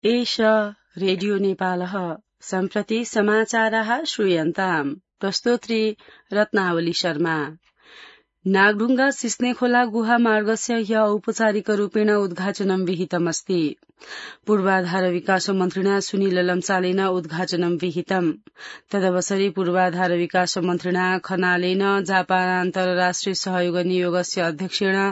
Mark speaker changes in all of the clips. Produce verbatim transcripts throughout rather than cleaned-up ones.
Speaker 1: एष रेडियो नेपालः सम्प्रति समाचाराः श्रूयन्ताम्। प्रस्तोत्री रत्नावली शर्मा। नागढुङ्गा सिस्नेखोला गुहा मार्गस्य ह्य औपचारिकरूपेण उद्घाटनं विहितमस्ति। पूर्वाधार विकास मन्त्रिणा सुनिल लम्सालेन उद्घाटनं विहितम्। तदवसरे पूर्वाधार विकास मन्त्रिणा खनालेन जापान अन्तर्राष्ट्रिय सहयोग नियोगस्य अध्यक्षेण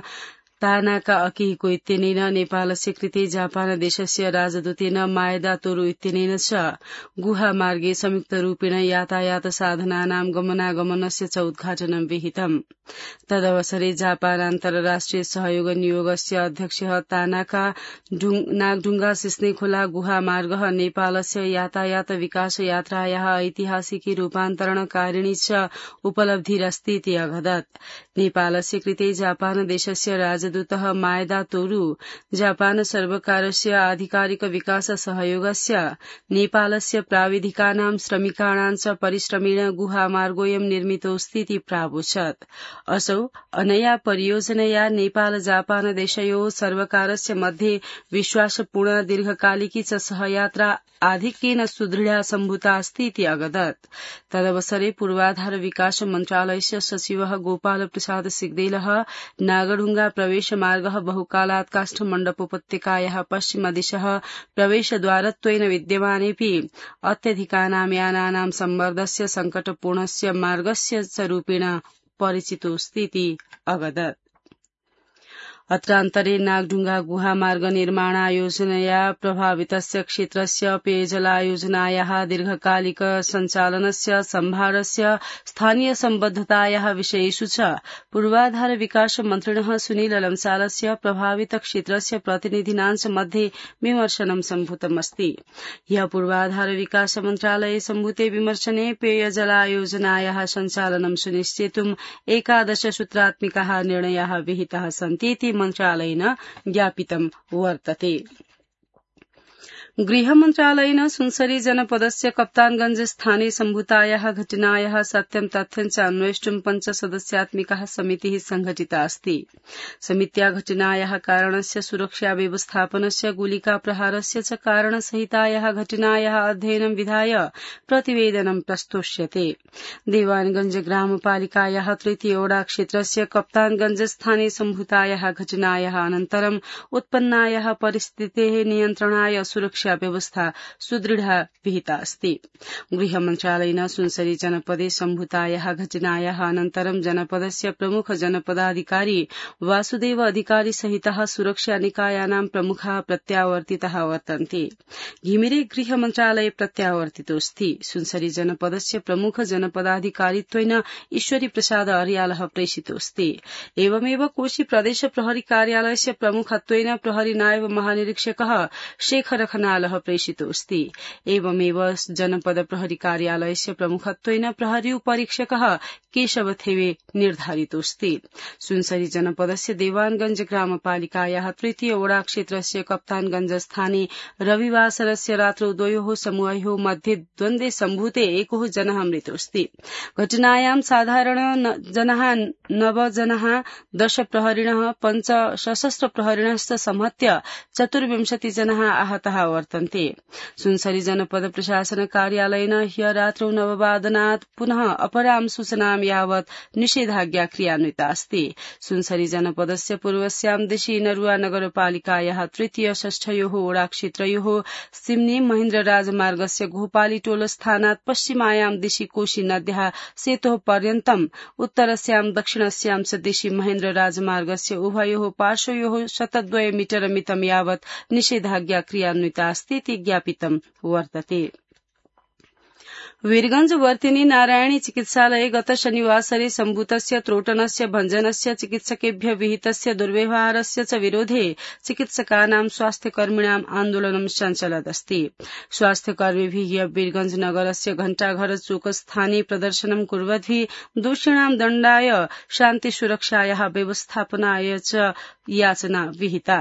Speaker 1: तानाका अकिहिको इत्यनेन नेपालस्य कृते जापान देशस्य राजदूतेन मायदा तोरु इत्यनेन च गुहा मार्गे संयुक्तरूपेण यातायात साधनानां गमनागमनस्य च उद्घाटनं विहितम्। तदवसरे जापान अन्तर्राष्ट्रिय सहयोग नियोगस्य अध्यक्षः तानाका नागढुङ्गा सिस्नेखोला गुहा मार्गः नेपालस्य यातायात विकास यात्रायाः ऐतिहासिकी रूपान्तरणकारिणी च उपलब्धिरस्ति इति अवदत्। नेपालस्य कृते जापान देशस्य राजदूतः मायदा तोरु जापान सर्वकारस्य आधिकारिक विकास सहयोगस्य नेपालस्य प्राविधिकानां श्रमिकाणां च परिश्रमेण गुहा मार्गोऽयं निर्मितोऽस्ति इति प्रावोचत्। असौ अनया परियोजनया नेपाल जापान देशयोः सर्वकारस्य मध्ये विश्वासपूर्ण दीर्घकालिकी च सहयात्रा आधिक्येन सुदृढा सम्भूता अस्ति इति अवदत्। तदवसरे पूर्वाधार विकास मन्त्रालयस्य सचिवः गोपाल प्रसाद सिग्देलः नागढुङ्गा प्रवेश मार्गः बहुकालात् काष्ठमण्डपोपत्यकायाः पश्चिमदिशः प्रवेशद्वारत्वेन विद्यमानेऽपि अत्यधिकानां यानानां सम्मर्दस्य सङ्कटपूर्णस्य मार्गस्य च रूपेण परिचितोऽस्ति इति अवदत्। अत्रान्तरे नागढुङ्गा गुहा मार्ग निर्माणायोजनया प्रभावितस्य क्षेत्रस्य पेयजलायोजनायाः दीर्घकालिक सञ्चालनस्य सम्भारस्य स्थानीय सम्बद्धतायाः विषयेषु च पूर्वाधार विकास मन्त्रिणः सुनिल लम्सालस्य प्रभावित क्षेत्रस्य प्रतिनिधिनां च मध्ये विमर्शनं सम्भूतमस्ति। ह्यः पूर्वाधार विकास मन्त्रालये सम्भूते विमर्शने पेयजलायोजनायाः सञ्चालनं सुनिश्चेतुम् एकादश सूत्रात्मिकाः निर्णयाः विहिताः सन्ति इति मन्त्रालयेन ज्ञापितं वर्तते। गृहमन्त्रालयेन सुनसरी जनपदस्य कप्तानगंज स्थाने सम्भूतायाः घटनायाः सत्यं तथ्यं च अन्वेष्टुं पञ्चसदस्यात्मिका समितिः संघटिता अस्ति। समित्या घटनायाः कारणस्य सुरक्षा व्यवस्थापनस्य गोलिका प्रहारस्य च कारणसहितायाः घटनायाः अध्ययनं विधाय प्रतिवेदनं प्रस्तोष्यते। देवानगंज ग्रामपालिकायाः तृतीय ओडा क्षेत्रस्य कप्तानगंज स्थाने सम्भूतायाः घटनायाः अनन्तरं उत्पन्नायाः परिस्थितेः नियन्त्रणाय सुरक्षा व्यवस्था सुदृढा विहिता अस्ति। गृहमन्त्रालयेन सुनसरी जनपदे सम्भूतायाः घटनायाः अनन्तरं जनपदस्य प्रमुख जनपदाधिकारी वासुदेव अधिकारी सहितः सुरक्षा निकायानां प्रमुखाः प्रत्यावर्तिताः वर्तन्ते। घिमिरे गृहमन्त्रालये प्रत्यावर्तितोऽस्ति। सुनसरी जनपदस्य प्रमुख जनपदाधिकारित्वेन ईश्वरी प्रसाद अर्यालः प्रेषितोऽस्ति। एवमेव कोशी प्रदेश प्रहरी कार्यालयस्य प्रमुखत्वेन प्रहरी नायब महानिरीक्षकः शेखर खनालः प्रेषितोऽस्ति। एवमेव जनपद प्रहरी कार्यालयस्य प्रमुखत्वेन प्रहरी उपरीक्षकः केशव थेवे निर्धारितोऽस्ति। सुनसरी जनपदस्य देवानगंज ग्रामपालिकायाः तृतीय ओडा क्षेत्रस्य कप्तानगंज स्थाने रविवासरस्य रात्रौ द्वयोः समूहयोः मध्ये द्वन्द्वे सम्भूते एकः जनः मृतोऽस्ति। घटनायां साधारण जनाः नव जनाः दश प्रहरिणः पञ्च सशस्त्र प्रहरिणश्च संहत्य चतुर्विंशति जनाः आहताः वर्तन्ते। सुनसरी जनपद प्रशासन कार्यालयेन ह्य रात्रौ नववादनात् पुनः अपरां सूचनां यावत् निषेधाज्ञा क्रियान्विता अस्ति। सुनसरी जनपदस्य पूर्वस्यां दिशि नरुवा नगरपालिकायाः तृतीय षष्ठयोः ओडा क्षेत्रयोः सिम्नी महेन्द्र राजमार्गस्य घोपाली टोल स्थानात् पश्चिमायां दिशि कोशी नद्याः सेतोः पर्यन्तम् उत्तरस्यां दक्षिणस्यां च दिशि महेन्द्र राजमार्गस्य उभयोः पार्श्वयोः शतद्वय मीटर मितं यावत् निषेधाज्ञा क्रियान्विता अस्ति इति ज्ञापितं वर्तते। वीरगंज वर्तिनी नारायणी चिकित्सालये गत शनिवासरे सम्भूतस्य त्रोटनस्य भञ्जनस्य चिकित्सकेभ्य विहितस्य दुर्व्यवहारस्य च विरोधे चिकित्सकानां स्वास्थ्यकर्मिणाम् आन्दोलनं सञ्चलदस्ति। स्वास्थ्यकर्मिभिः ह्य वीरगंज नगरस्य घण्टाघर चौक स्थाने प्रदर्शनं कुर्वद्भिः दोषिणां दण्डाय शान्तिसुरक्षायाः व्यवस्थापनाय च याचना विहिता।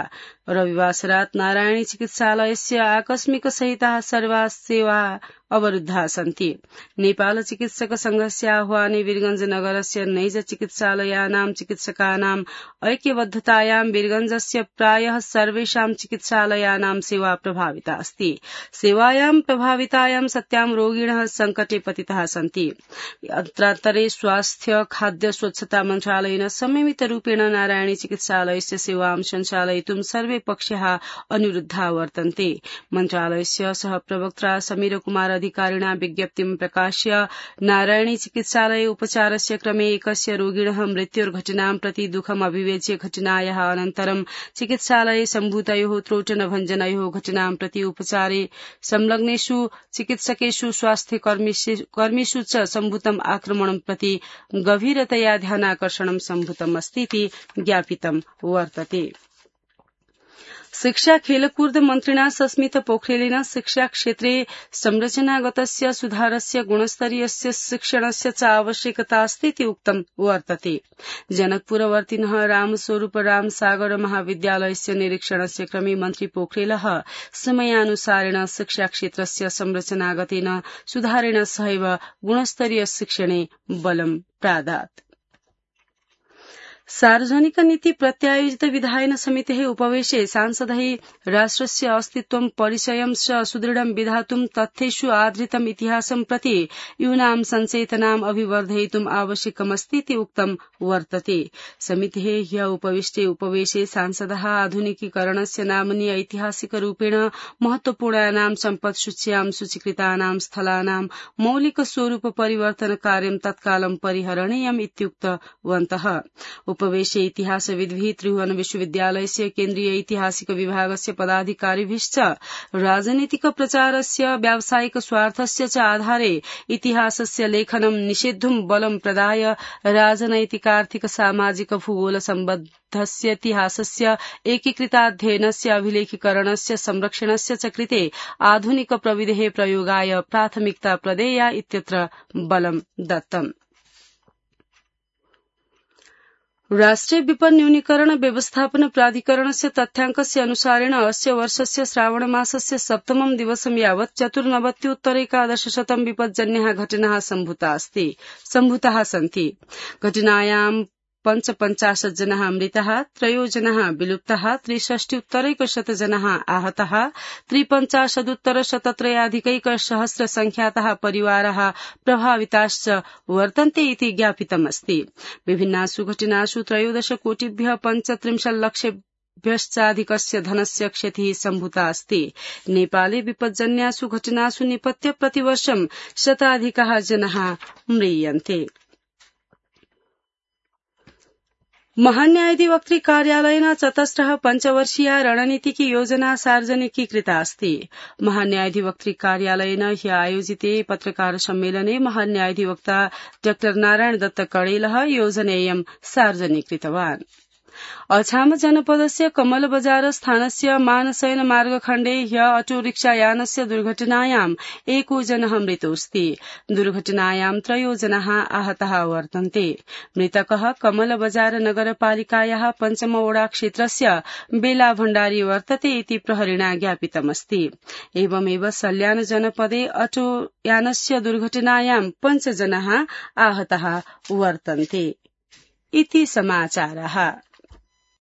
Speaker 1: रविवासरात् नारायणी चिकित्सालयस्य आकस्मिक सहिताः सर्वाः सेवा अवरुद्धा सन्ति। नेपाल चिकित्सक संघस्य आह्वाने वीरगंज नगरस्य नैज चिकित्सालयानां चिकित्सकानां ऐक्यबद्धतायां वीरगंजस्य प्रायः सर्वेषां चिकित्सालयानां सेवा प्रभाविता अस्ति। सेवायां प्रभावितायां सत्यां रोगिणः संकटे पतिताः सन्ति। अत्रान्तरे स्वास्थ्य खाद्य स्वच्छता मन्त्रालयेन संयमितरूपेण नारायणी चिकित्सालयस्य सेवां सञ्चालयितुं सर्वे पक्षाः अनुरुद्धा वर्तन्ते। मन्त्रालयस्य सह प्रवक्ता समीर कुमार अधिकारिणा विज्ञप्तिं प्रकाश्य नारायणी चिकित्सालये उपचारस्य क्रमे एकस्य रोगिणः मृत्युर्घटनां प्रति दुःखम् अभिव्यज्य घटनायाः अनन्तरं चिकित्सालये सम्भूतयोः त्रोटनभञ्जनयोः घटनां प्रति उपचारे संलग्नेषु चिकित्सकेषु स्वास्थ्यकर्मिषु च सम्भूतम् आक्रमणं प्रति गभीरतया ध्यानाकर्षणं सम्भूतम् अस्तीति ज्ञापितं वर्तते। शिक्षा खेलकूद मन्त्रिणा सस्मित पोखरेलेन शिक्षा क्षेत्रे संरचनागतस्य सुधारस्य गुणस्तरीयस्य शिक्षणस्य च आवश्यकता अस्तीति उक्तं वर्तते। जनकपुरवर्तिनः रामस्वरूप रामसागर महाविद्यालयस्य निरीक्षणस्य क्रमे मन्त्री पोखरेलः समयानुसारेण शिक्षा क्षेत्रस्य संरचनागतेन सुधारेण सहैव गुणस्तरीय शिक्षणे बलं प्रादात्। सार्वजनिक नीति प्रत्यायोजित विधायन समितेः उपवेशे सांसदैः राष्ट्रस्य अस्तित्वं परिचयं च सुदृढं विधातुं तथ्येषु आधृतम् इतिहासं प्रति यूनां संचेतनाम् अभिवर्धयितुम् आवश्यकमस्तीति उक्तं वर्तते। समितेः ह्य उपविष्टे उपवेशे सांसदः आधुनिकीकरणस्य नाम्नि ऐतिहासिकरूपेण महत्वपूर्णानां सम्पत्सूच्यां सूचीकृतानां स्थलानां मौलिक स्वरूप परिवर्तन कार्यं तत्कालं परिहरणीयम् इत्युक्तवन्तः। उपवेशे इतिहासविद्भिः त्रिभुवन विश्वविद्यालयस्य केन्द्रीय ऐतिहासिक विभागस्य पदाधिकारिभिश्च राजनीतिक प्रचारस्य व्यावसायिक स्वार्थस्य च आधारे इतिहासस्य लेखनं निषेद्धुं बलं प्रदाय राजनैतिकार्थिक सामाजिक भूगोल सम्बद्धस्य इतिहासस्य एकीकृताध्ययनस्य अभिलेखीकरणस्य संरक्षणस्य च कृते आधुनिक प्रविधेः प्रयोगाय प्राथमिकता प्रदेया इत्यत्र बलं दत्तम्। राष्ट्रिय विपद न्यूनीकरण व्यवस्थापन प्राधिकरणस्य तथ्याङ्कस्य अनुसारेण अस्य वर्षस्य श्रावणमासस्य सप्तमं दिवसं यावत् चतुर्नवत्युत्तरैकादशशतं विपज्जन्याः घटनाः सम्भूताः सन्ति। घटनायां पञ्चपञ्चाशत् जनाः मृताः, त्रयो जनाः विलुप्ताः, त्रिषष्ट्युत्तरैकशत जनाः आहताः, त्रिपञ्चाशदुत्तरशतत्रयाधिकैकसहस्र संख्याताः परिवाराः प्रभाविताश्च वर्तन्ते इति ज्ञापितमस्ति। विभिन्नासु घटनासु त्रयोदश कोटिभ्यः पञ्चत्रिंशल्लक्षेभ्यश्चाधिकस्य धनस्य क्षतिः सम्भूता अस्ति। नेपाले विपज्जन्यासु घटनासु निपत्य प्रतिवर्षं शताधिकाः जनाः म्रियन्ते। महान्यायाधिवक्तृ कार्यालयेन चतस्रः पञ्चवर्षीया रणनीतिकी योजना सार्वजनिकीकृता अस्ति। महान्यायाधिवक्तृ कार्यालयेन ह्य आयोजिते पत्रकार सम्मेलने महान्यायाधिवक्ता डॉ नारायण दत्त कडेलः योजनेयं सार्वजनिकृतवान्। अछाम जनपदस्य कमल बजार स्थानस्य मानसयन मार्गखण्डे ह्य अटोरिक्षायानस्य दुर्घटनायाम् एको जनः मृतोऽस्ति। दुर्घटनायां त्रयो जनाः आहताः वर्तन्ते। मृतकः कमल बजार नगरपालिकायाः पञ्चमवोडा क्षेत्रस्य बेला भण्डारी वर्तते इति प्रहरिणा ज्ञापितमस्ति। एवमेव सल्यान जनपदे अटोयानस्य दुर्घटनायां पञ्च जनाः आहताः वर्तन्ते। इति समाचारः।